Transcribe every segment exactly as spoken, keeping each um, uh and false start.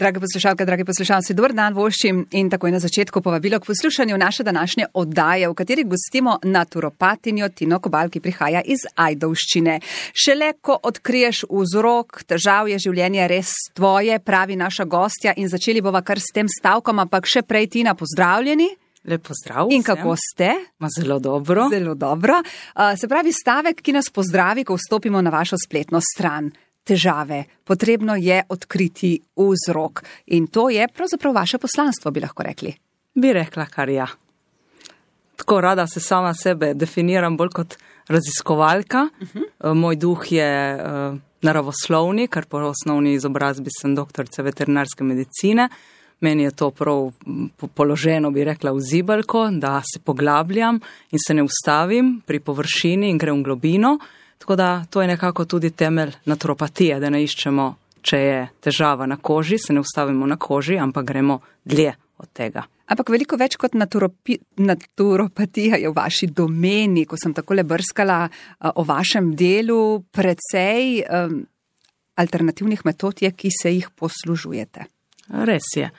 Drage poslušalke, dragi poslušalci, dober dan voščim in takoj na začetku povabilo k poslušanju naše današnje oddaje, v kateri gostimo naturopatinjo Tino Kobal, ki prihaja iz Ajdovščine. Šele ko odkriješ vzrok, težav je življenje res tvoje, pravi naša gostja, in začeli bova kar s tem stavkom, ampak še prej, Tina, pozdravljeni. Lep pozdrav. In kako ste? Ma zelo dobro. Zelo dobro. Uh, se pravi stavek, ki nas pozdravi, ko vstopimo na vašo spletno stran. Težave. Potrebno je odkriti vzrok. In to je pravzaprav vaše poslanstvo, bi lahko rekli. Bi rekla kar ja. Tako rada se sama sebe definiram bolj kot raziskovalka. Uh-huh. Moj duh je uh, naravoslovni, kar po osnovni izobrazbi sem doktorica veterinarske medicine. Meni je to prav položeno, bi rekla, v zibelko, da se poglabljam in se ne ustavim pri površini in grem v globino. Tako da to je nekako tudi temelj naturopatije, da ne iščemo, če je težava na koži, se ne ustavimo na koži, ampak gremo dlje od tega. Ampak veliko več kot naturopi, naturopatija je v vaši domeni, ko sem takole brskala uh, o vašem delu, precej um, alternativnih metod je, ki se jih poslužujete. Res je.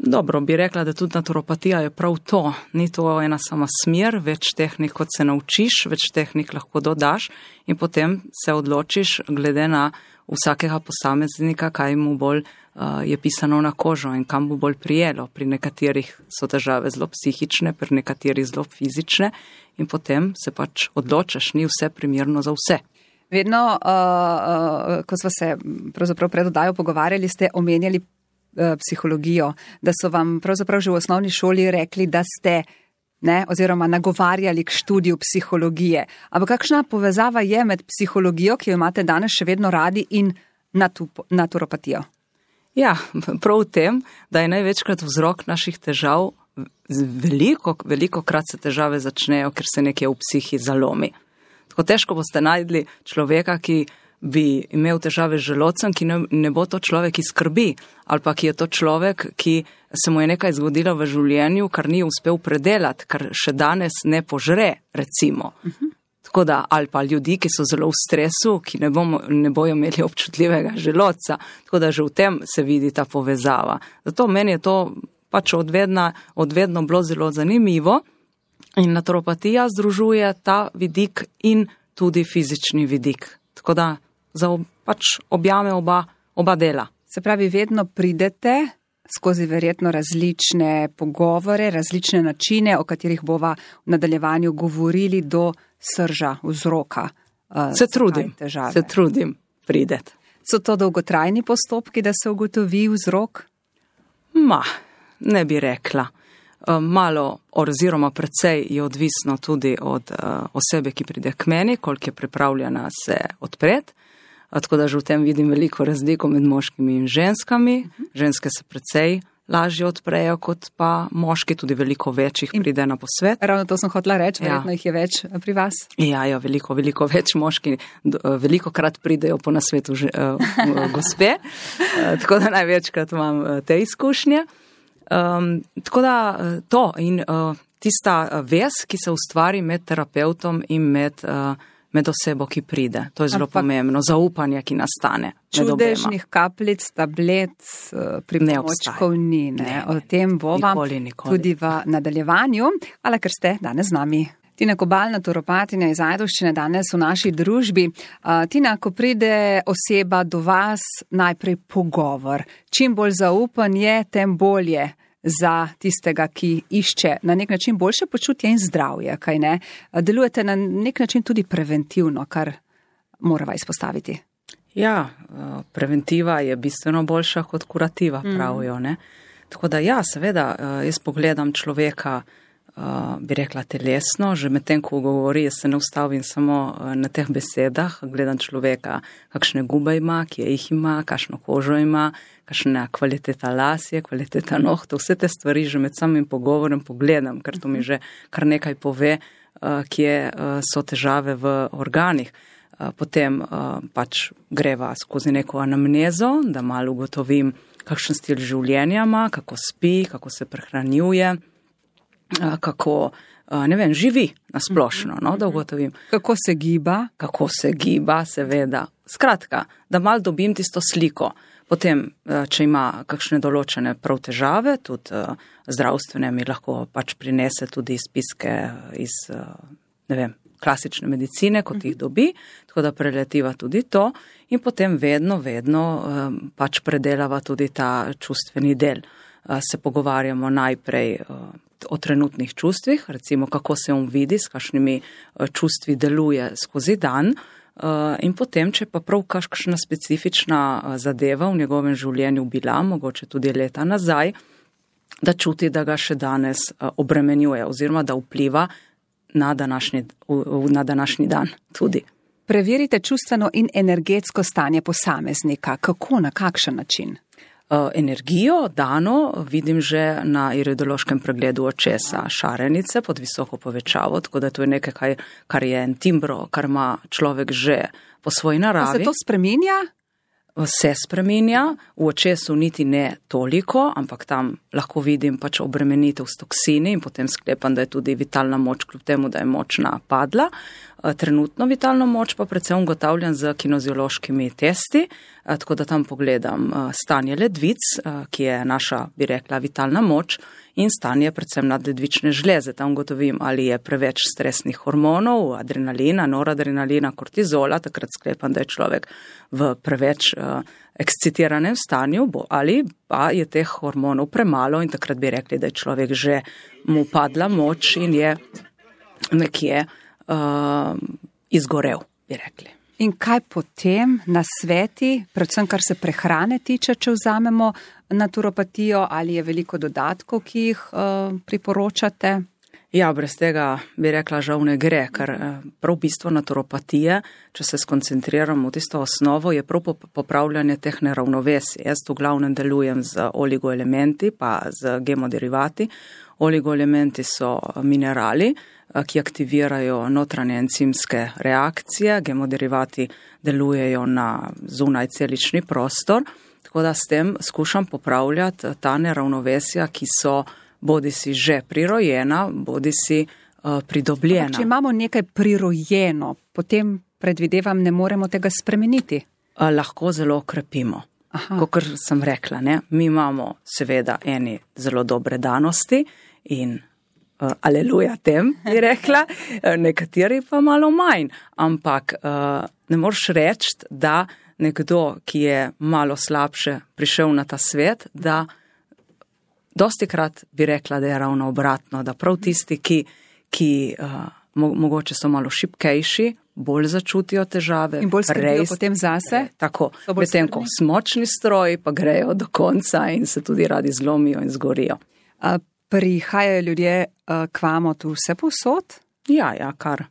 Dobro, bi rekla, da tudi naturopatija je prav to. Ni to ena sama smer, več tehnik, kot se naučiš, več tehnik lahko dodaš in potem se odločiš glede na vsakega posameznika, kaj mu bolj uh, je pisano na kožo in kam mu bolj prijelo. Pri nekaterih so težave zelo psihične, pri nekaterih zelo fizične in potem se pač odločiš, ni vse primerno za vse. Vedno, uh, uh, ko smo se pravzaprav pred oddajo pogovarjali, ste omenjali psihologijo, da so vam pravzaprav že v osnovni šoli rekli, da ste, ne, oziroma nagovarjali k študiju psihologije. Ampak kakšna povezava je med psihologijo, ki jo imate danes še vedno radi, in natu- naturopatijo? Ja, prav v tem, da je največkrat vzrok naših težav, veliko, veliko krat se težave začnejo, ker se nekje v psihi zalomi. Tako težko boste najdli človeka, ki bi imel težave z želodcem, ki ne, ne bo to človek, ki skrbi, ali pa ki je to človek, ki se mu je nekaj zgodilo v življenju, kar ni uspel predelati, kar še danes ne požre, recimo. Uh-huh. Tako da, ali pa ljudi, ki so zelo v stresu, ki ne, bomo, ne bojo imeli občutljivega želodca, tako da že v tem se vidi ta povezava. Zato meni je to pač odvedna, odvedno bilo zelo zanimivo in naturopatija združuje ta vidik in tudi fizični vidik. Tako da za ob, pač objame oba, oba dela. Se pravi, vedno pridete skozi verjetno različne pogovore, različne načine, o katerih bova v nadaljevanju govorili, do srža, vzroka. Uh, se trudim, se trudim prideti. So to dolgotrajni postopki, da se ugotovi vzrok? Ma, ne bi rekla. Malo oziroma precej je odvisno tudi od uh, osebe, ki pride k meni, koliko je pripravljena se odpreti. Tako da že v tem vidim veliko razliko med moškimi in ženskami. Uh-huh. Ženske se precej lažje odprejo kot pa moški, tudi veliko več jih pride na posvet. Ravno to sem hotela reči, ja. Verjetno jih je več pri vas. Ja, ja, veliko, veliko več moški, veliko krat pridejo po nasvetu že, uh, gospe, uh, tako da največkrat imam uh, te izkušnje. Um, tako da to in uh, tista vez, ki se ustvari med terapeutom in med, uh, med osebo, ki pride. To je zelo Ampak pomembno. Zaupanje, ki nastane. Čudežnih kapljic, tablet, uh, pripomočkov ni. Ne? Ne, ne, o tem bova nikoli, nikoli. tudi v nadaljevanju. Hvala, ker ste danes z nami. Tina Kobal, naturopatinja iz Ajdovščine, danes v naši družbi. Uh, Tina, ko pride oseba do vas, najprej pogovor. Čim bolj zaupan je, tem bolje za tistega, ki išče na nek način boljše počutje in zdravje, kaj ne? Delujete na nek način tudi preventivno, kar morava izpostaviti. Ja, preventiva je bistveno boljša kot kurativa, pravijo, ne? Tako da ja, seveda, jaz pogledam človeka, bi rekla telesno, že med tem, ko govori, jaz se ne ustavim samo na teh besedah, gledam človeka, kakšne gube ima, kje jih ima, kakšno kožo ima, kakšna kvaliteta las je, kvaliteta nohtov, vse te stvari že med samim pogovorom pogledam, ker to mi že kar nekaj pove, kje so težave v organih. Potem pač greva skozi neko anamnezo, da malo ugotovim, kakšen stil življenja ima, kako spi, kako se prehranjuje, kako, ne vem, živi nasplošno, no, da ugotovim. Kako se giba? Kako se giba, seveda. Skratka, da malo dobim tisto sliko. Potem, če ima kakšne določene prav težave, tudi zdravstvene, mi lahko pač prinese tudi izpiske iz, ne vem, klasične medicine, kot jih dobi, tako da preletiva tudi to in potem vedno, vedno pač predelava tudi ta čustveni del. Se pogovarjamo najprej o trenutnih čustvih, recimo kako se on vidi, s kakšnimi čustvi deluje skozi dan, in potem, če pa prav kakšna specifična zadeva v njegovem življenju bila, mogoče tudi leta nazaj, da čuti, da ga še danes obremenjuje oziroma da vpliva na današnji, na današnji dan tudi. Preverite čustveno in energetsko stanje posameznika. Kako, na kakšen način? Energijo dano vidim že na iridološkem pregledu očesa šarenice pod visoko povečavo, tako da to je nekaj, kar je en timbro, kar ima človek že po svoji naravi. Pa se to spreminja? Se spreminja, v očesu niti ne toliko, ampak tam lahko vidim pač obremenitev s toksini in potem sklepam, da je tudi vitalna moč, kljub temu, da je močna padla. Trenutno vitalno moč pa predvsem ugotavljam z kineziološkimi testi, tako da tam pogledam stanje ledvic, ki je naša, bi rekla, vitalna moč, in stanje predvsem nadledvične žleze. Tam ugotovim, ali je preveč stresnih hormonov, adrenalina, noradrenalina, kortizola, takrat sklepam, da je človek v preveč uh, ekscitiranem stanju, bo, ali pa je teh hormonov premalo in takrat bi rekli, da je človek že mu padla moč in je nekje uh, izgorel, bi rekli. In kaj potem na sveti, predvsem kar se prehrane tiče, če vzamemo naturopatijo, ali je veliko dodatkov, ki jih uh, priporočate? Ja, brez tega bi rekla, žal ne gre, ker prav bistvo naturopatije, če se skoncentriramo v tisto osnovo, je prav popravljanje teh neravnovesij. Jaz v glavnem delujem z oligoelementi, pa z gemoderivati. Oligoelementi so minerali, ki aktivirajo notranje encimske reakcije, gemoderivati delujejo na zunaj celični prostor, tako da s tem skušam popravljati ta neravnovesja, ki so bodi si že prirojena, bodi si uh, pridobljena. Če imamo nekaj prirojeno, potem predvidevam, ne moremo tega spremeniti. Uh, lahko zelo okrepimo. Kakor sem rekla, ne? Mi imamo seveda eni zelo dobre danosti in uh, aleluja tem, bi rekla, nekateri pa malo manj. Ampak uh, ne moreš reči, da nekdo, ki je malo slabše prišel na ta svet, da dosti krat bi rekla, da je ravno obratno, da prav tisti, ki, ki uh, mo- mogoče so malo šibkejši, bolj začutijo težave. In bolj skrbijo potem zase. Tako, medtem ko smočni stroji pa grejo do konca in se tudi radi zlomijo in zgorijo. A prihajajo ljudje uh, k vam tu vse povsod? Ja, ja, kar.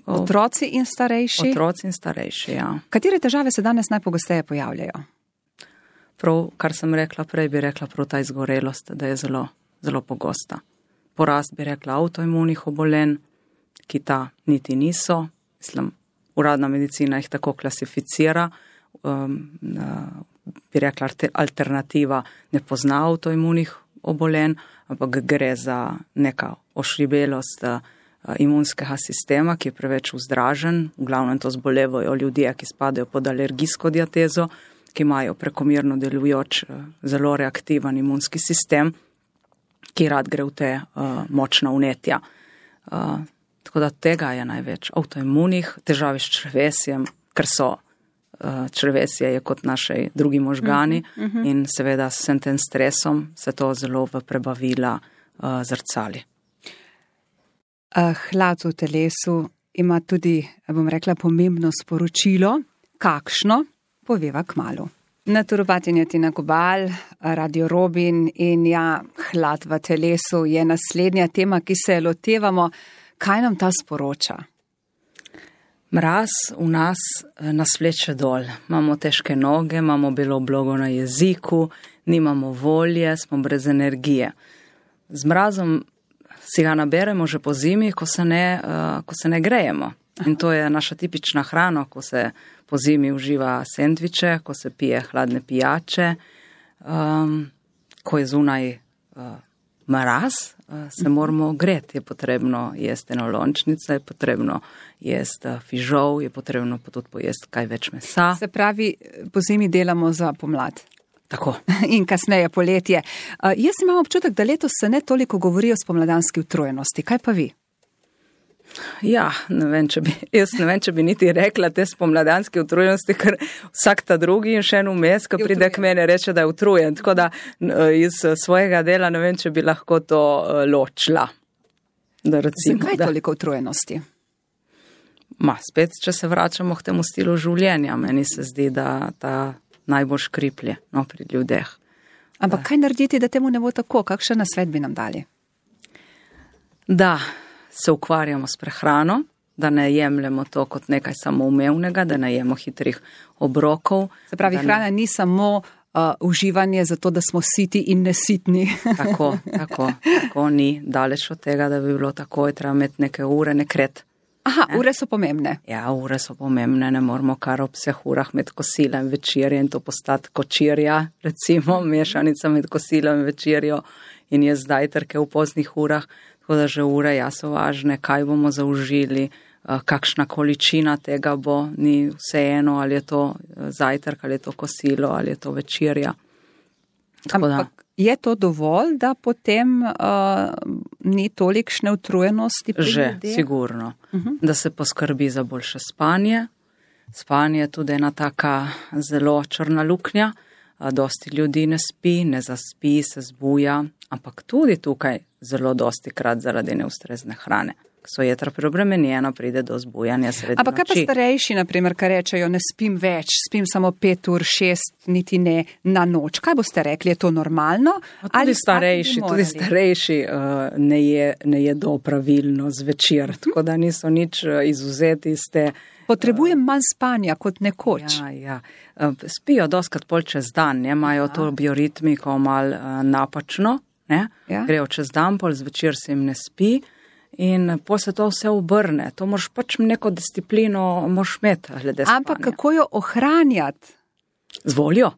O, otroci in starejši? Otroci in starejši, ja. Katere težave se danes najpogosteje pojavljajo? Prav, kar sem rekla prej, bi rekla prav ta izgorelost, da je zelo, zelo pogosta. Porast bi rekla avtoimunih obolenj, ki ta niti niso. Mislim, uradna medicina jih tako klasificira. Um, uh, bi rekla, alternativa ne pozna avtoimunih obolenj, ampak gre za neka ošribelost uh, imunskega sistema, ki je preveč vzdražen. V glavnem to zbolevajo ljudje, ki spadajo pod alergijsko diatezo, ki imajo prekomerno delujoč, zelo reaktiven imunski sistem, ki rad gre v te uh, močna vnetja. Uh, tako da tega je največ. Avtoimunih, težave s črevesjem, ker so uh, črevesje je kot naši drugi možgani uh -huh, uh -huh. in seveda s tem stresom se to zelo v prebavila uh, zrcali. Uh, hlad v telesu ima tudi, bom rekla, pomembno sporočilo. Kakšno? Poveva kmalu. Naturopatinja Tina Kobal, Radio Robin in ja, hlad v telesu je naslednja tema, ki se lotevamo. Kaj nam ta sporoča? Mraz v nas nas vleče dol. Imamo težke noge, imamo belo blogo na jeziku, nimamo volje, smo brez energije. Z mrazom si ga naberemo že po zimi, ko se ne, uh, ko se ne grejemo. In to je naša tipična hrana, ko se po zimi uživa sendviče, ko se pije hladne pijače, um, ko je zunaj uh, mraz se moramo greti. Je potrebno jesti enolončnice, je potrebno jesti fižol, je potrebno tudi pojesti kaj več mesa. Se pravi, po zimi delamo za pomlad. Tako. In kasneje poletje. Uh, jaz imam občutek, da letos se ne toliko govori o spomladanski utrujenosti. Kaj pa vi? Ja, ne vem, če bi, jaz ne vem, če bi niti rekla te spomladanske utrujenosti, ker vsak ta drugi in še en vmes, ko pride k mene, reče, da je utrujen. Tako da iz svojega dela ne vem, če bi lahko to ločila. Da recimo, Zakaj da... toliko utrujenosti? Ma, spet, če se vračamo k temu stilu življenja, meni se zdi, da ta najbolj škriplje, no, pri ljudeh. Ampak kaj narediti, da temu ne bo tako? Kakšen nasvet bi nam dali? Da se ukvarjamo s prehrano, da ne jemljemo to kot nekaj samoumevnega, da ne jemo hitrih obrokov. Se pravi, hrana ne... ni samo uh, uživanje zato, da smo siti in nesitni. Tako, tako, tako ni. Daleč od tega, da bi bilo tako, je treba imeti neke ure, nekret. Aha, ne? Ure so pomembne. Ja, ure so pomembne, ne moramo kar ob vseh urah med kosilom in večerjo in to postati kočirja, recimo, mešanica med kosilom in večerjo in je zdaj trke v poznih urah. Tako da že ure ja so važne, kaj bomo zaužili, kakšna količina tega bo, ni vseeno, ali je to zajtrk, ali je to kosilo, ali je to večerja. Tako da. Ampak je to dovolj, da potem uh, ni tolikšne utrujenosti pri Že, ljudeh? sigurno. Uh-huh. Da se poskrbi za boljše spanje. Spanje je tudi ena taka zelo črna luknja. Dosti ljudi ne spi, ne zaspi, se zbuja, ampak tudi tukaj zelo dosti krat zaradi neustrezne hrane. So jedra preobremenjena, pride do zbujanja sredi noči. Ampak kaj pa starejši, naprimer, kar rečejo, ne spim več, spim samo pet ur, šest, niti ne na noč. Kaj boste rekli, je to normalno? Tudi ali starejši, tudi starejši uh, ne, je, ne jedo pravilno zvečer, uh-huh. Tako da niso nič izuzeti iz te. Potrebujem manj spanja kot nekoč. Ja, ja. Spijo doskrat pol čez dan, ne? Imajo to bioritmiko mal uh, napačno, ne? Ja. Grejo čez dan, pol zvečer se jim ne spi. In po se to vse obrne. To moraš pač neko disciplino moraš imeti glede spanja. Ampak kako jo ohranjati? Z voljo.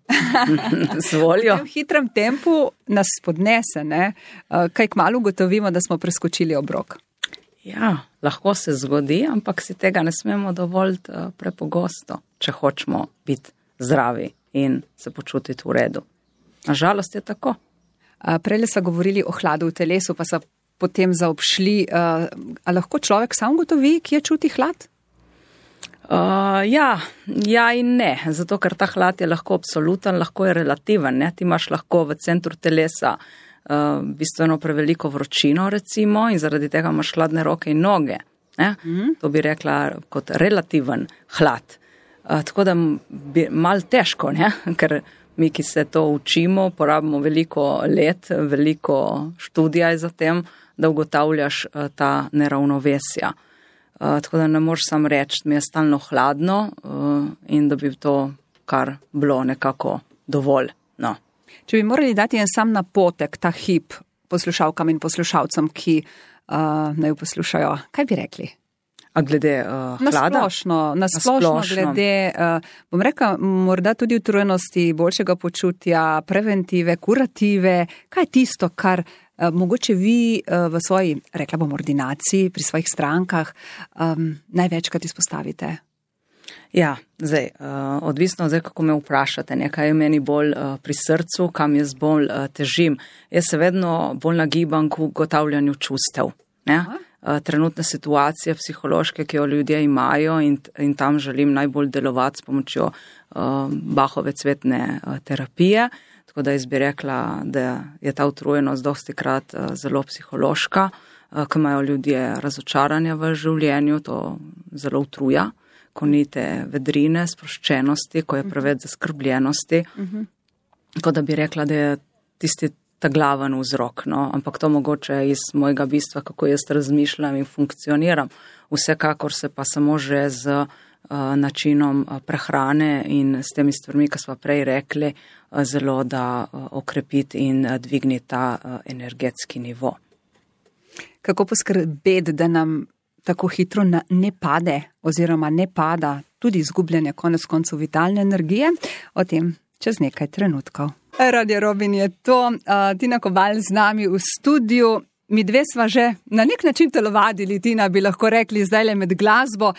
Z voljo. V tem hitrem tempu nas spodnese, ne? Kaj kmalu ugotovimo, da smo preskočili obrok. Ja, lahko se zgodi, ampak si tega ne smemo dovoliti prepogosto, če hočemo biti zdravi in se počutiti v redu. Nažalost je tako. Prej sva govorili o hladu v telesu, pa so potem zaobšli. A lahko človek sam gotovi, kje čuti hlad? Uh, ja, ja in ne. Zato, ker ta hlad je lahko absoluten, lahko je relativen. Ne? Ti imaš lahko v centru telesa uh, bistveno preveliko vročino, recimo, in zaradi tega imaš hladne roke in noge. Ne? Mm. To bi rekla kot relativen hlad. Uh, tako da bi mal težko, ne? Ker mi, ki se to učimo, porabimo veliko let, veliko študija za tem, da ugotavljaš uh, ta neravnovesja. Uh, tako da ne moreš sam reči, mi je stalno hladno uh, in da bi to kar bilo nekako dovolj. No. Če bi morali dati en sam napotek, ta hip poslušalkam in poslušalcem, ki uh, naj poslušajo, kaj bi rekli? A glede uh, hlada? Nasplošno, nasplošno glede, uh, bom rekla, morda tudi utrujenosti, boljšega počutja, preventive, kurative. Kaj je tisto, kar uh, mogoče vi uh, v svoji, rekla bom, ordinaciji, pri svojih strankah um, največkrat izpostavite? Ja, zdaj, uh, odvisno zdaj, kako me vprašate, nekaj je meni bolj uh, pri srcu, kam jaz bolj uh, težim. Jaz se vedno bolj nagibam k ugotavljanju čustev, ne? Trenutne situacije psihološke, ki jo ljudje imajo in, in tam želim najbolj delovati s pomočjo uh, Bachove cvetne uh, terapije. Tako da jaz bi rekla, da je ta utrujenost dosti krat uh, zelo psihološka, uh, ko imajo ljudje razočaranja v življenju, to zelo utruja, ko ni te vedrine, sproščenosti, ko je preveč zaskrbljenosti. Uh-huh. Tako da bi rekla, da je tisti ta glaven vzrok, no, ampak to mogoče iz mojega bistva, kako jaz razmišljam in funkcioniram. Vsekakor se pa samo že z uh, načinom uh, prehrane in s temi stvarmi, ki smo prej rekli, uh, zelo da uh, okrepiti in uh, dvigniti ta uh, energetski nivo. Kako poskrbeti, da nam tako hitro na, ne pade oziroma ne pada tudi izgubljanje konec koncev vitalne energije? O tem čez nekaj trenutkov. Radio Robin je to, uh, Tina Kobal z nami v studiu. mi dve sva že na nek način telovadili, Tina, bi lahko rekli zdajle med glasbo.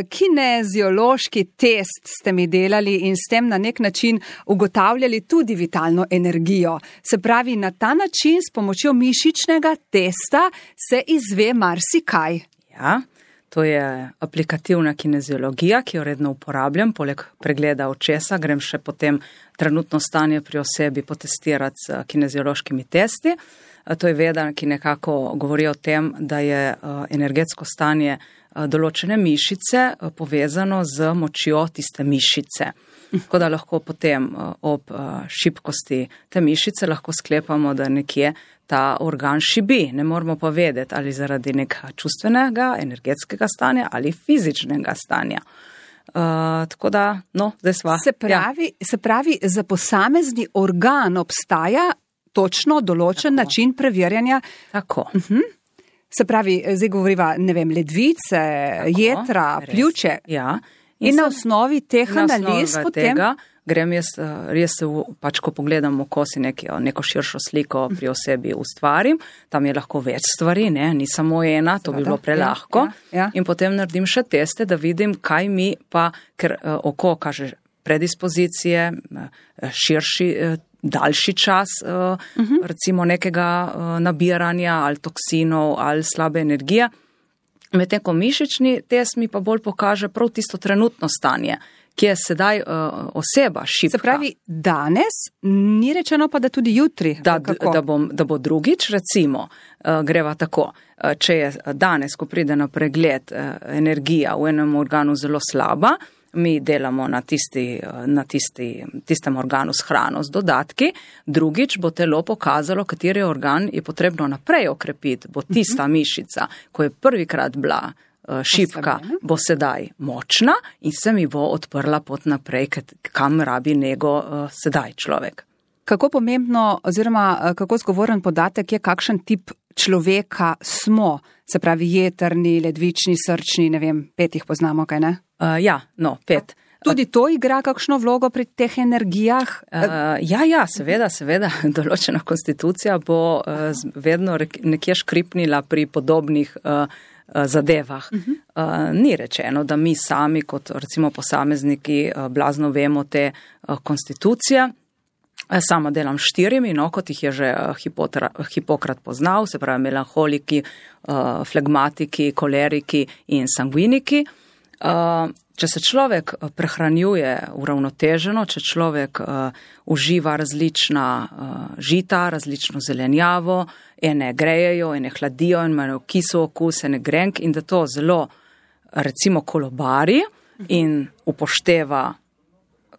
Kineziološki test ste mi delali in s tem na nek način ugotavljali tudi vitalno energijo. Se pravi, na ta način s pomočjo mišičnega testa se izve marsikaj. Ja, to je aplikativna kineziologija, ki jo redno uporabljam, poleg pregleda očesa, grem še potem trenutno stanje pri osebi potestirati s kineziološkimi testi. To je veda, ki nekako govori o tem, da je energetsko stanje določene mišice povezano z močjo tiste mišice. Tako da lahko potem ob šibkosti te mišice lahko sklepamo, da nekje ta organ šibi. Ne moramo pa vedeti, ali zaradi nekega čustvenega, energetskega stanja ali fizičnega stanja. Uh, tako da, no, zdaj sva. Se pravi, ja. se pravi, za posamezni organ obstaja točno določen tako. način preverjanja. Tako. Uh-huh. Se pravi, zdaj govoriva, ne vem, ledvice, tako, jetra, res. Pljuče. Ja. In, in na osnovi teh analiz potem... Tega, grem jaz, res se, pač ko pogledam oko si neko, neko širšo sliko pri osebi ustvarim, tam je lahko več stvari, ne, ni samo ena, to Seveda, bi bilo prelahko. Ja, ja, ja. In potem naredim še teste, da vidim, kaj mi pa, ker oko kaže predispozicije, širši, daljši čas, uh-huh. recimo nekega nabiranja ali toksinov ali slabe energije. Medtem ko mišični test mi pa bolj pokaže prav tisto trenutno stanje, ki je sedaj uh, oseba šibka. Se pravi, danes, ni rečeno pa, da tudi jutri. Da, da, bom, da bo drugič, recimo, uh, greva tako, uh, če je danes, ko pride na pregled uh, energija v enem organu zelo slaba, mi delamo na, tisti, na tisti, tistem organu s hrano, s dodatki, drugič bo telo pokazalo, kateri organ je potrebno naprej okrepiti, bo tista mišica, ko je prvikrat bila šibka, bo sedaj močna in se mi bo odprla pot naprej, kam rabi nego sedaj človek. Kako pomembno oziroma kako zgovoren podatek je, kakšen tip človeka smo, se pravi jetrni, ledvični, srčni, ne vem, pet jih poznamo, kaj ne? Uh, ja, no, pet. Tudi to igra kakšno vlogo pri teh energijah? Uh, ja, ja, seveda, seveda, določena konstitucija bo uh, vedno nekje škripnila pri podobnih uh, zadevah. Uh-huh. Uh, ni rečeno, da mi sami kot recimo posamezniki uh, blazno vemo te uh, konstitucije. Sama delam štirimi, no, kot jih je že Hipotra, Hipokrat poznal, se pravi melanholiki, uh, flegmatiki, koleriki in sanguiniki. Uh, če se človek prehranjuje uravnoteženo, če človek uh, uživa različna uh, žita, različno zelenjavo, ene grejejo, ene hladijo, ene imajo kisel okus, ene grenk in da to zelo recimo kolobari in upošteva,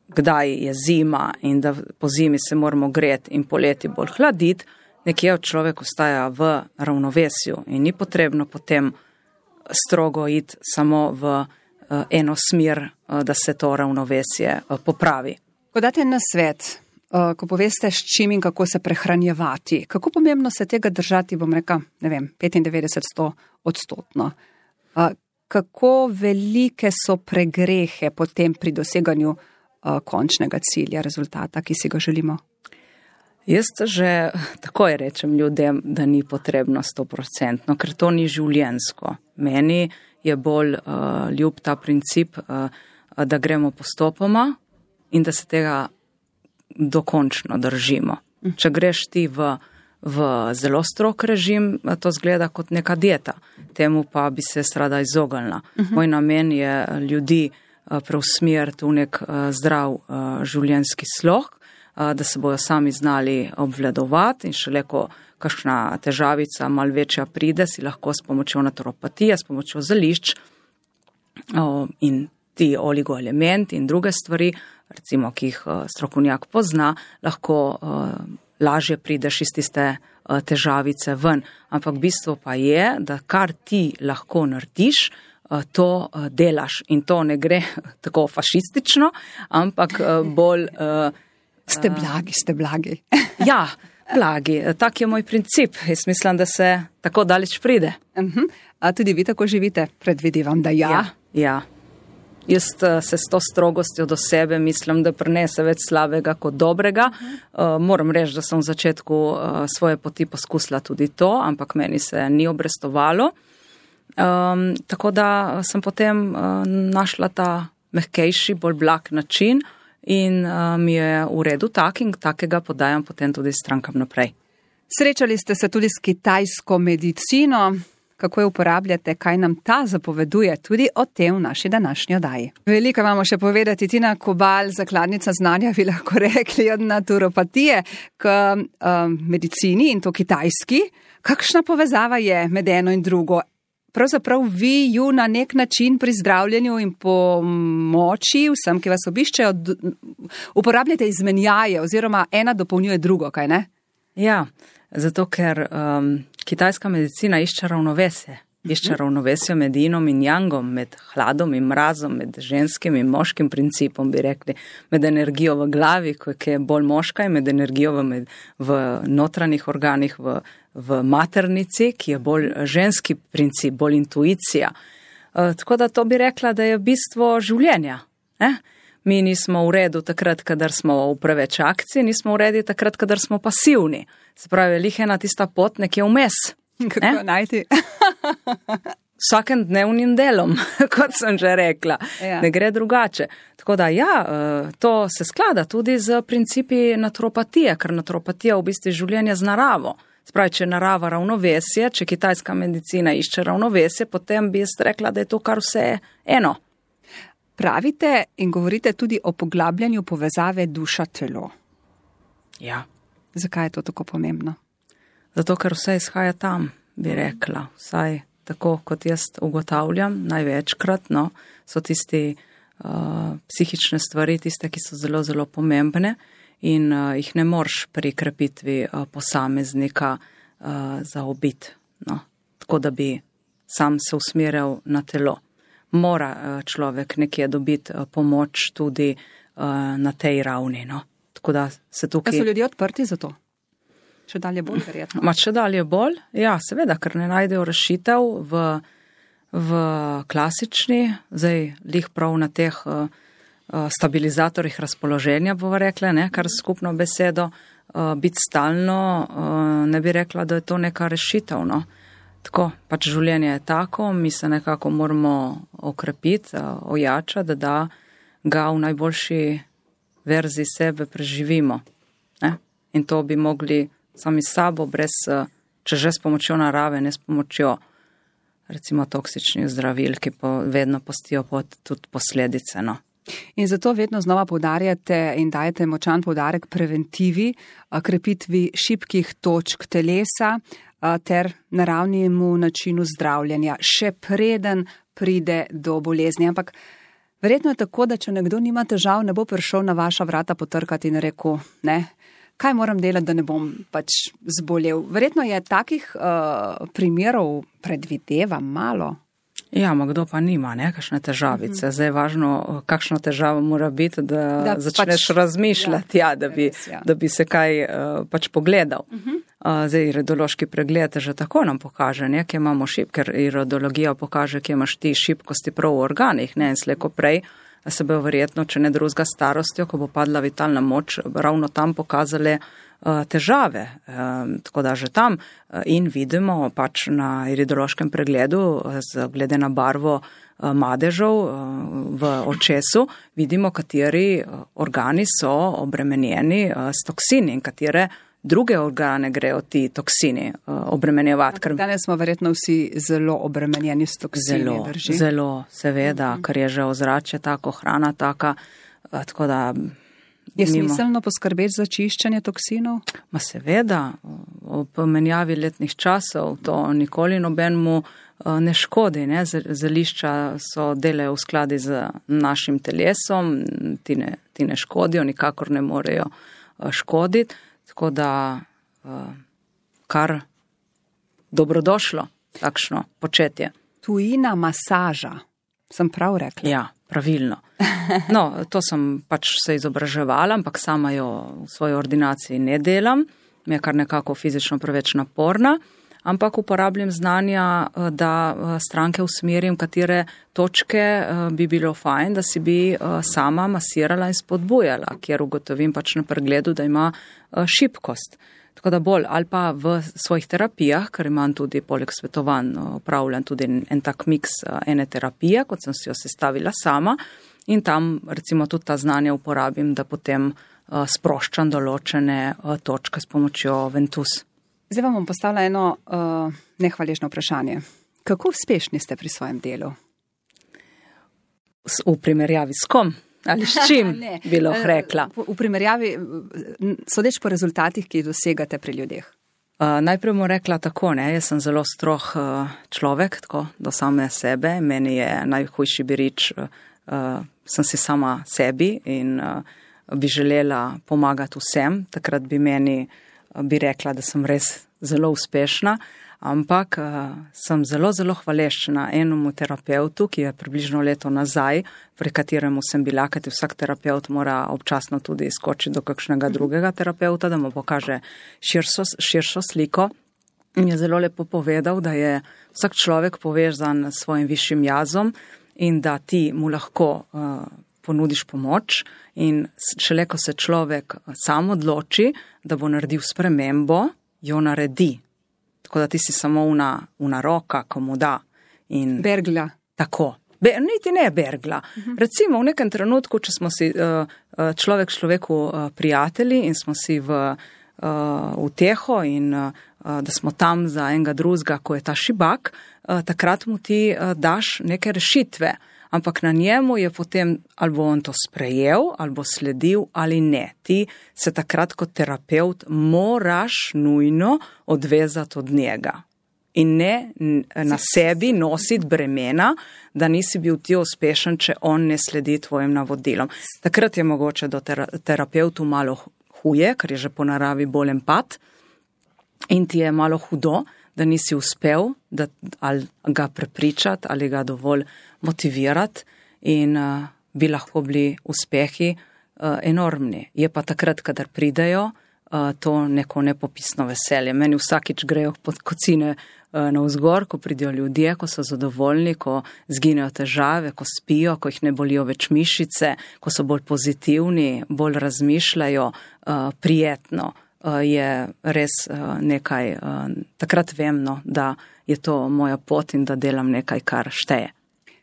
kdaj je zima in da po zimi se moramo greti in poleti bolj hladiti, nekje človek ostaja v ravnovesju in ni potrebno potem strogo iti samo v uh, eno smer, uh, da se to ravnovesje uh, popravi. Ko date na svet, uh, ko poveste s čim in kako se prehranjevati, kako pomembno se tega držati, bom rekla, ne vem, petindevetdeset do sto odstotno. Uh, kako velike so pregrehe potem pri doseganju končnega cilja, rezultata, ki si ga želimo? Jaz že takoj rečem ljudem, da ni potrebno sto procentno, ker to ni življenjsko. Meni je bolj uh, ljub ta princip, uh, da gremo postopoma in da se tega dokončno držimo. Če greš ti v, v zelo strog režim, to zgleda kot neka dieta. Temu pa bi se rada izognila. Uh-huh. Moj namen je ljudi preusmeriti v nek zdrav življenjski slog, da se bojo sami znali obvladovati in šele ko kakšna težavica mal večja pride, si lahko s pomočjo naturopatije, s pomočjo zelišč in ti oligoelementi in druge stvari, recimo, ki jih strokovnjak pozna, lahko lažje prideš iz tiste težavice ven. Ampak bistvo pa je, da kar ti lahko narediš, to delaš in to ne gre tako fašistično, ampak bolj... Ste blagi, ste blagi. Ja, blagi. Tak je moj princip. Jaz mislim, da se tako daleč pride. Uh-huh. A tudi vi tako živite? Predvidevam, da ja. Ja, ja. Jaz se s to strogostjo do sebe mislim, da prinese več slabega kot dobrega. Uh, moram reči, da sem v začetku uh, svoje poti poskusila tudi to, ampak meni se ni obrestovalo. Um, tako da sem potem uh, našla ta mehkejši, bolj blag način in uh, mi je v redu tak in takega podajam potem tudi strankam naprej. Srečali ste se tudi s kitajsko medicino. Kako jo uporabljate, kaj nam ta zapoveduje, tudi o tem v naši današnji oddaji. Veliko imamo še povedati. Tina Kobal, zakladnica znanja, bi lahko rekli, od naturopatije k um, medicini in to kitajski. Kakšna povezava je med eno in drugo? Pravzaprav vi ju na nek način pri zdravljenju in pomoči vsem, ki vas obiščejo, uporabljate izmenjaje oziroma ena dopolnjuje drugo, kaj ne? Ja, zato ker um, kitajska medicina išče ravnovesje. Išče ravnovesje med inom in jangom, med hladom in mrazom, med ženskim in moškim principom, bi rekli, med energijo v glavi, ki je bolj moška, in med energijo v, med, v notranjih organih, v, v maternici, ki je bolj ženski princip, bolj intuicija. E, tako da to bi rekla, da je bistvo življenja. Eh? Mi nismo v redu takrat, kadar smo v preveč akciji, nismo v redu takrat, kadar smo pasivni. Se pravi, lih ena tista pot nekje vmes. Kako eh? najti? Vsakem dnevnim delom, kot sem že rekla, ja. Ne gre drugače. Tako da ja, to se sklada tudi z principi naturopatije, ker naturopatija v bistvu življenje z naravo. Spravi, če narava ravnovesje, če kitajska medicina išče ravnovesje, potem bi jaz rekla, da je to kar vse eno. Pravite in govorite tudi o poglabljanju povezave duša-telo. Ja. Zakaj je to tako pomembno? Zato, ker vse izhaja tam, bi rekla. Vsaj tako, kot jaz ugotavljam, največkrat, no, so tisti uh, psihične stvari, tiste, ki so zelo, zelo pomembne in uh, jih ne moreš pri krepitvi uh, posameznika uh, zaobiti. No. Tako, da bi sam se usmerjal na telo. Mora uh, človek nekje dobiti uh, pomoč tudi uh, na tej ravni. No. Tako da se tukaj... Da so ljudje odprti za to? Še dalje bolj, verjetno. Ma še dalje bolj, ja, seveda, ker ne najdejo rešitev v, v klasični, zdaj lih prav na teh uh, stabilizatorjih razpoloženja, bova rekla, ne, kar skupno besedo, uh, biti stalno, uh, ne bi rekla, da je to neka rešitev, no. Tako, pač življenje je tako, mi se nekako moramo okrepiti, uh, ojačati, da, da ga v najboljši verziji sebe preživimo, ne, in to bi mogli sami sabo, brez, če že s pomočjo narave, ne s pomočjo recimo toksičnih zdravil, ki po, vedno postijo pod tudi posledice. No. In zato vedno znova poudarjate in dajete močan poudarek preventivi, krepitvi šibkih točk telesa ter naravnemu načinu zdravljenja, še preden pride do bolezni. Ampak verjetno je tako, da če nekdo nima težav, ne bo prišel na vaša vrata potrkati in rekel, ne, kaj moram delati, da ne bom pač zbolel. Verjetno je takih uh, primerov, predvidevam, malo. Ja, ma kdo pa nima, ne, kakšne težavice. Uh-huh. Zdaj je važno, kakšna težava mora biti, da, da začneš pač razmišljati, ja, ja, da, bi, res, ja. da bi se kaj uh, pač pogledal. Uh-huh. Uh, zdaj, iridološki pregled že tako nam pokaže, ne, kje imamo šib, ker iridologija pokaže, kje imaš ti šibkosti prav v organih, ne, in slejko prej se bo verjetno, če ne drugega starostjo, ko bo padla vitalna moč, ravno tam pokazale uh, težave. Um, tako da že tam uh, in vidimo pač na iridološkem pregledu, z, glede na barvo uh, madežev uh, v očesu, vidimo, kateri uh, organi so obremenjeni uh, s toksini in katere druge organe grejo ti toksini uh, obremenjevati. Ker... Danes smo verjetno vsi zelo obremenjeni s toksini. Zelo, drži? zelo, seveda, mm-hmm. ker je že ozračje tako, hrana taka, uh, tako da... Je mimo... smiselno poskrbeti za čiščenje toksinov? Ma seveda, ob menjavi letnih časov to nikoli nobenemu uh, ne škodi. Ne? Zelišča so delejo v skladi z našim telesom, ti ne, ti ne škodijo, nikakor ne morejo uh, škoditi. Tako da uh, kar dobrodošlo takšno početje. Tujina masaža, sem prav rekla? Ja, pravilno. No, to sem pač se izobraževala, ampak sama jo v svoji ordinaciji ne delam, mi je kar nekako fizično preveč naporna, ampak uporabljam znanja, da stranke usmerim, katere točke bi bilo fajn, da si bi sama masirala in spodbujala, kjer ugotovim pač na pregledu, da ima šibkost. Tako da bolj, ali pa v svojih terapijah, ker imam tudi poleg svetovanj, opravljam tudi en tak miks ene terapije, kot sem si jo sestavila sama in tam recimo tudi ta znanja uporabim, da potem sproščam določene točke s pomočjo Ventus. Zdaj vam bom postavila eno uh, nehvaležno vprašanje. Kako uspešni ste pri svojem delu? V primerjavi s kom? Ali s čim bi lahko rekla? V primerjavi, sodeč po rezultatih, ki jih dosegate pri ljudeh. Uh, najprej bom rekla tako, ne, jaz sem zelo strog uh, človek, tako do same sebe. Meni je najhujši birič, uh, sem si sama sebi in uh, bi želela pomagati vsem. Takrat bi meni, uh, bi rekla, da sem res zelo uspešna. Ampak uh, sem zelo, zelo hvaležna enemu terapeutu, ki je približno leto nazaj, pri kateremu sem bila, kajti vsak terapeut mora občasno tudi skočiti do kakšnega drugega terapeuta, da mu pokaže širšo, širšo sliko. In je zelo lepo povedal, da je vsak človek povezan s svojim višjim jazom in da ti mu lahko uh, ponudiš pomoč in šele, ko se človek sam odloči, da bo naredil spremembo, jo naredi. Tako da ti si samo una, una roka, ko mu da. In bergla. Tako. Be, niti ne bergla. Uh-huh. Recimo v nekem trenutku, če smo si uh, človek človeku uh, prijatelji in smo si v uh, uteho in uh, da smo tam za enega drugega, ko je ta šibak, uh, takrat mu ti uh, daš neke rešitve. Ampak na njemu je potem, ali bo on to sprejel, ali bo sledil, ali ne. Ti se takrat kot terapeut moraš nujno odvezati od njega. In ne na sebi nositi bremena, da nisi bil ti uspešen, če on ne sledi tvojim navodilom. Takrat je mogoče do terapeutu malo huje, ker je že po naravi bolj empat in ti je malo hudo, da nisi uspel, da ali ga prepričati, ali ga dovolj motivirati in uh, bi lahko bili uspehi uh, enormni. Je pa takrat, kadar pridejo, uh, to neko nepopisno veselje. Meni vsakič grejo pod kocine uh, navzgor, ko pridejo ljudje, ko so zadovoljni, ko zginejo težave, ko spijo, ko jih ne bolijo več mišice, ko so bolj pozitivni, bolj razmišljajo, uh, prijetno. Je res nekaj, takrat vem, no, da je to moja pot in da delam nekaj, kar šteje.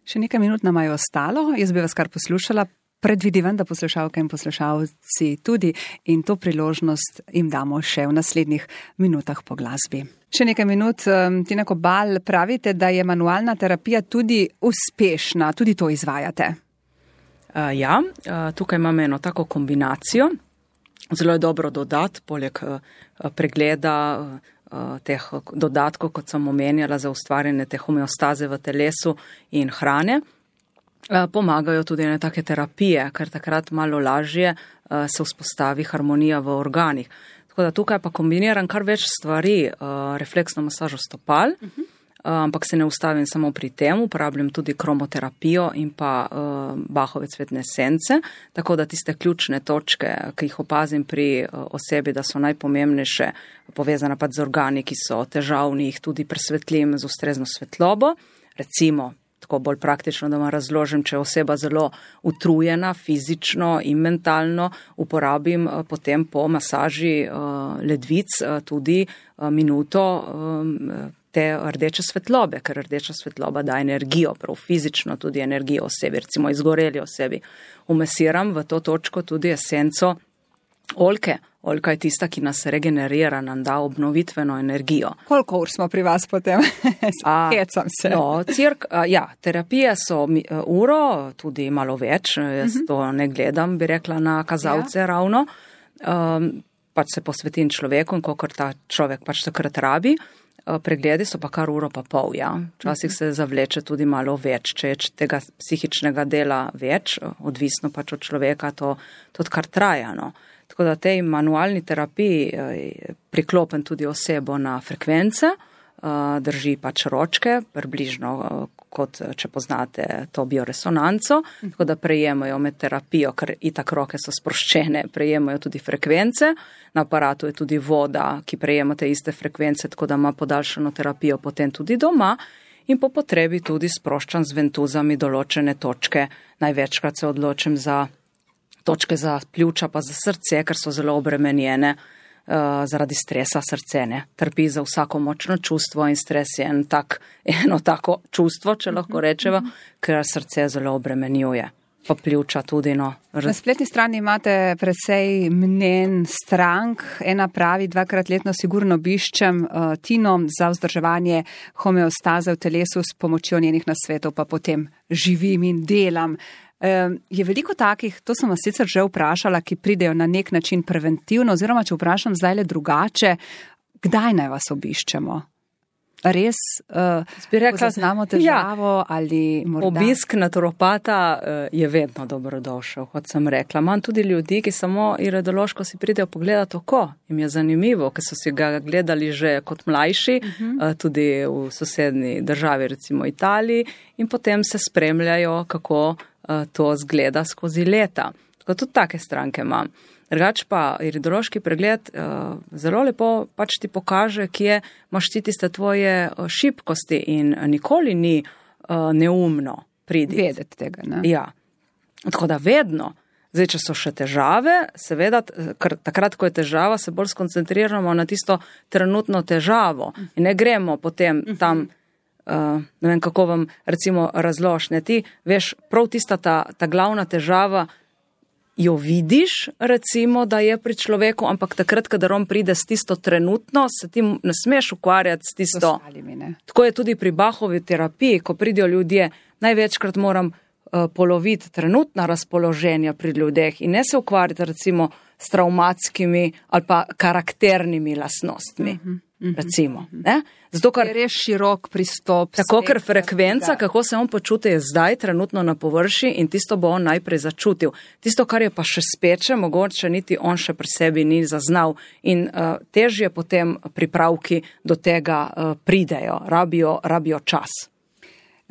Še nekaj minut nam je ostalo, jaz bi vas kar poslušala, predvidevam, da poslušalke in poslušalci tudi in to priložnost jim damo še v naslednjih minutah po glasbi. Še nekaj minut, Tina Kobal, pravite, da je manualna terapija tudi uspešna, tudi to izvajate. Uh, ja, uh, tukaj imamo eno tako kombinacijo. Zelo je dobro dodati, poleg pregleda teh dodatkov, kot sem omenjala, za ustvarjanje te homeostaze v telesu in hrane. Pomagajo tudi ene take terapije, ker takrat malo lažje se vzpostavi harmonija v organih. Tako da tukaj pa kombiniram kar več stvari, refleksno masažo stopal, uh-huh. ampak se ne ustavim samo pri tem, uporabljam tudi kromoterapijo in pa uh, Bachove cvetne esence, tako da tiste ključne točke, ki jih opazim pri uh, osebi, da so najpomembnejše, povezane pa z organi, ki so težavni, jih tudi presvetlim z ustrezno svetlobo. Recimo, tako bolj praktično, da vam razložim, če je oseba zelo utrujena fizično in mentalno, uporabim uh, potem po masaži uh, ledvic uh, tudi uh, minuto uh, te rdeče svetlobe, ker rdeča svetloba da energijo, prav fizično tudi energijo osebi, recimo izgoreli osebi. Umesiram v to točko tudi esenco oljke. Oljka je tista, ki nas regenerira, nam da obnovitveno energijo. Koliko ur smo pri vas potem? Hecam se. No, cirk, a, ja, terapije so mi, uro, tudi malo več, jaz uh-huh. to ne gledam, bi rekla na kazalce ja. ravno. Um, pač se posvetim človeku in kolikor ta človek pač takrat rabi. Pregledi so pa kar uro pa pol, ja. Včasih se zavleče tudi malo več, če je tega psihičnega dela več, odvisno pač od človeka, to tudi kar traja, no. Tako da tej manualni terapiji priklopim tudi osebo na frekvence, drži pač ročke, približno kot če poznate to bioresonanco, tako da prejemajo med terapijo, ker itak roke so sproščene, prejemajo tudi frekvence, na aparatu je tudi voda, ki prejema te iste frekvence, tako da ima podaljšano terapijo potem tudi doma in po potrebi tudi sproščan z ventuzami določene točke. Največkrat se odločim za točke za pljuča pa za srce, ker so zelo obremenjene. Uh, zaradi stresa srce ne, trpi za vsako močno čustvo in stres je en tak, eno tako čustvo, če lahko rečeva, ker srce zelo obremenjuje. Pa pljuča tudi, no. Na spletni strani imate precej mnen strank, ena pravi, dvakrat letno sigurno obiščem uh, Tino za vzdrževanje homeostaze v telesu s pomočjo njenih nasvetov, pa potem živim in delam. Je veliko takih, to sem vas sicer že vprašala, ki pridejo na nek način preventivno, oziroma če vprašam zdaj le drugače, kdaj naj vas obiščemo? Res, uh, rekla, znamo težavo ja, ali morda? Obisk naturopata uh, je vedno dobrodošel, kot sem rekla. Imam tudi ljudi, ki samo iridološko si pridejo pogledati oko. Im je zanimivo, ker so si ga gledali že kot mlajši, uh -huh. uh, tudi v sosednji državi, recimo Italiji, in potem se spremljajo, kako to zgleda skozi leta. Tako tudi take stranke imam. Drugač pa iridološki pregled uh, zelo lepo pač ti pokaže, kje imaš ti tiste tvoje šibkosti in nikoli ni uh, neumno pridi. Vedeti tega, ne? Ja. Tako da vedno. Zdaj, če so še težave, seveda, ker takrat, ko je težava, se bolj skoncentriramo na tisto trenutno težavo in ne gremo potem tam Uh, ne vem, kako vam recimo razložne. Ti veš, prav tista ta, ta glavna težava jo vidiš, recimo, da je pri človeku, ampak takrat, kadar on pride s tisto trenutno, se ti ne smeš ukvarjati s tisto. Ostalimi, ne. Tako je tudi pri Bachovi terapiji, ko pridijo ljudje, največkrat moram uh, poloviti trenutna razpoloženja pri ljudeh in ne se ukvarjati recimo s travmatskimi ali pa karakternimi lastnostmi. Uh-huh. Recimo, ne? Zato, ker je res širok pristop. Tako, ker frekvenca, kako se on počuti, je zdaj trenutno na površi in tisto bo on najprej začutil. Tisto, kar je pa še speče, mogoče niti on še pri sebi ni zaznal in uh, težje potem pripravki do tega uh, pridejo, rabijo, rabijo čas.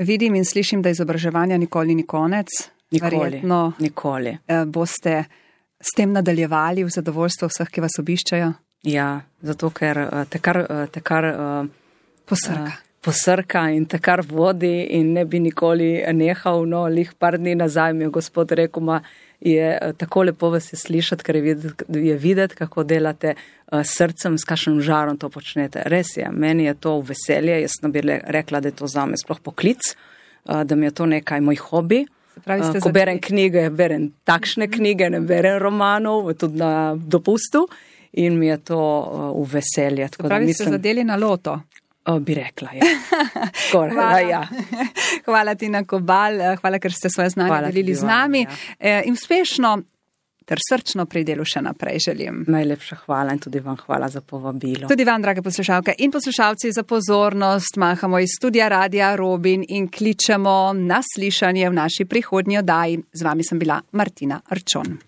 Vidim in slišim, da izobraževanja nikoli ni konec. Nikoli, Verjetno, nikoli. Uh, boste s tem nadaljevali v zadovoljstvo vseh, ki vas obiščajo? Ja, zato ker te kar, te kar posrka. Uh, posrka in te kar vodi in ne bi nikoli nehal. No, lih par dni nazaj mi je gospod rekel, ma je tako lepo vas je slišati, ker je videti, je videti kako delate uh, srcem, s kakšnim žarom to počnete. Res je, meni je to veselje, jaz ne bi rekla, da je to zame sploh poklic, uh, da mi je to nekaj moj hobi. Pravi, uh, ko berem knjige, berem takšne knjige, ne berem romanov, tudi na dopustu. In mi je to uh, v veselje. Tako pravi, da mislim, ste zadeli na loto. Uh, bi rekla, ja. Skoraj, hvala. Ja. Hvala Tina Kobal, hvala, ker ste svoje znanje hvala delili z nami. Ja. In uspešno ter srčno pri delu še naprej želim. Najlepša hvala in tudi vam hvala za povabilo. Tudi vam, drage poslušalke in poslušalci, za pozornost. Mahamo iz studia Radia Robin in kličemo na slišanje v naši prihodnji oddaji. Z vami sem bila Martina Arčon.